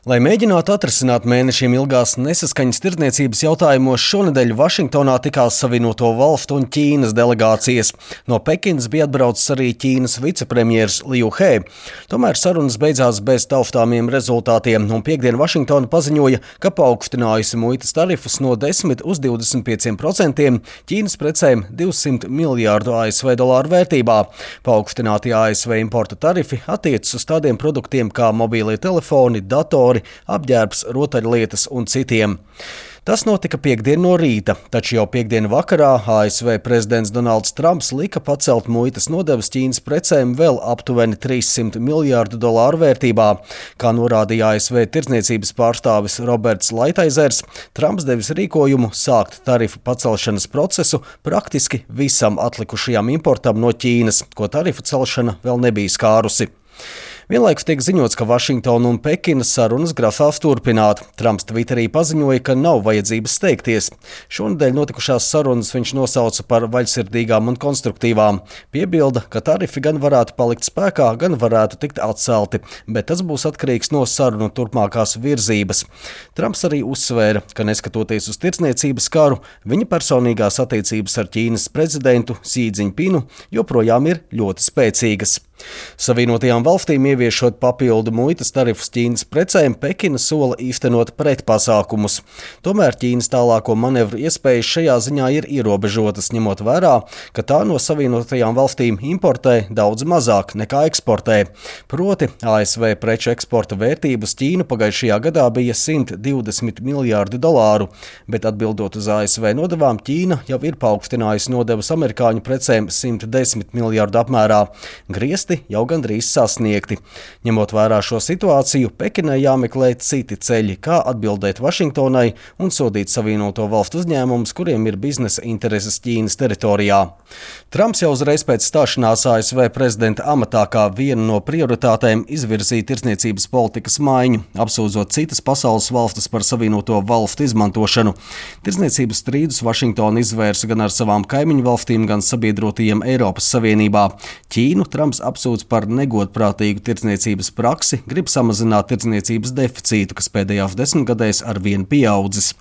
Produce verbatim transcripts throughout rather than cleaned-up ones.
Lai mēģinātu atrisināt mēnešiem ilgās nesaskaņas tirdzniecības jautājumos, šonedēļ Vašingtonā tikās Savienoto Valstu un Ķīnas delegācijas. No Pekinas bija atbraucis arī Ķīnas vicepremjers Liu He. Tomēr sarunas beidzās bez taustāmiem rezultātiem, un piektdien Vašingtona paziņoja, ka paaugstinājusi muitas tarifus no desmit uz divdesmit pieciem procentiem Ķīnas precēm divsimt miljārdu A S V dolāru vērtībā. Paaugstinātie A S V importa tarifi attiecas uz tādiem produktiem kā mobīlie telefoni, datori, apģērbs, rotaļlietas un citiem. Tas notika piektdien no rīta, taču jau piektdien vakarā A S V prezidents Donalds Trumps lika pacelt muitas nodevas Ķīnas precēm vēl aptuveni trīssimt miljārdu dolāru vērtībā. Kā norādīja A S V tirdzniecības pārstāvis Roberts Laitaizers, Trumps devis rīkojumu sākt tarifu pacelšanas procesu praktiski visam atlikušajam importam no Ķīnas, ko tarifu celšana vēl nebija skārusi. Vienlaikus tiek ziņots, ka Vašingtona un Pekinas sarunas grasās turpināt. Trumps Twitterī paziņoja, ka nav vajadzības steigties. Šonedēļ notikušās sarunas viņš nosauca par vaļsirdīgām un konstruktīvām. Piebilda, ka tarifi gan varētu palikt spēkā, gan varētu tikt atcelti, bet tas būs atkarīgs no sarunu turpmākās virzības. Trumps arī uzsvēra, ka neskatoties uz tirdzniecības karu, viņa personīgās attiecības ar Ķīnas prezidentu Xi Jinpingu joprojām ir ļoti spēcīgas. Savienotajām valstīm ieviešot papildu muitas tarifus Ķīnas precēm, Pekina sola īstenot pretpasākumus. Tomēr Ķīnas tālāko manevru iespējas šajā ziņā ir ierobežotas, ņemot vērā, ka tā no Savienotajām valstīm importē daudz mazāk nekā eksportē. Proti, A S V preču eksporta vērtība uz Ķīnu pagājušajā gadā bija simt divdesmit miljārdi dolāru, bet atbildot uz A S V nodevām, Ķīna jau ir paaugstinājusi nodevas amerikāņu precēm simt desmit miljārdu apmērā. Griezti jau gandrīz sasniegti. Ņemot vērā šo situāciju, Pekinai jāmeklē citi ceļi, kā atbildēt Vašingtonai un sodīt Savienoto Valstu uzņēmumus, kuriem ir biznesa intereses Ķīnas teritorijā. Trumps jau uzreiz pēc stāšanās A S V prezidenta amatā kā vienu no prioritātēm izvirzīja tirdzniecības politikas maiņu, apsūdzot citas pasaules valstis par Savienoto Valstu izmantošanu. Tirdzniecības strīdus Vašingtona izvērsa gan ar savām kaimiņu valstīm, gan sabiedrotajiem Eiropas Savienībā. Ķīnu Trumps apsūdz par negodprātīgu tirdzniecības praksi, grib samazināt tirdzniecības deficītu, kas pēdējās desmitgadēs arvien pieaudzis.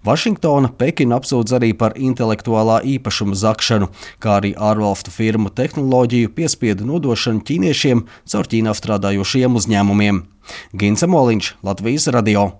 Vašingtona Pekinu apsūdz arī par intelektuālā īpašuma zakšanu, kā arī ārvalstu firmu tehnoloģiju piespiedu nodošanu ķīniešiem caur Ķīnā strādājošiem uzņēmumiem. Gints Moliņš, Latvijas radio.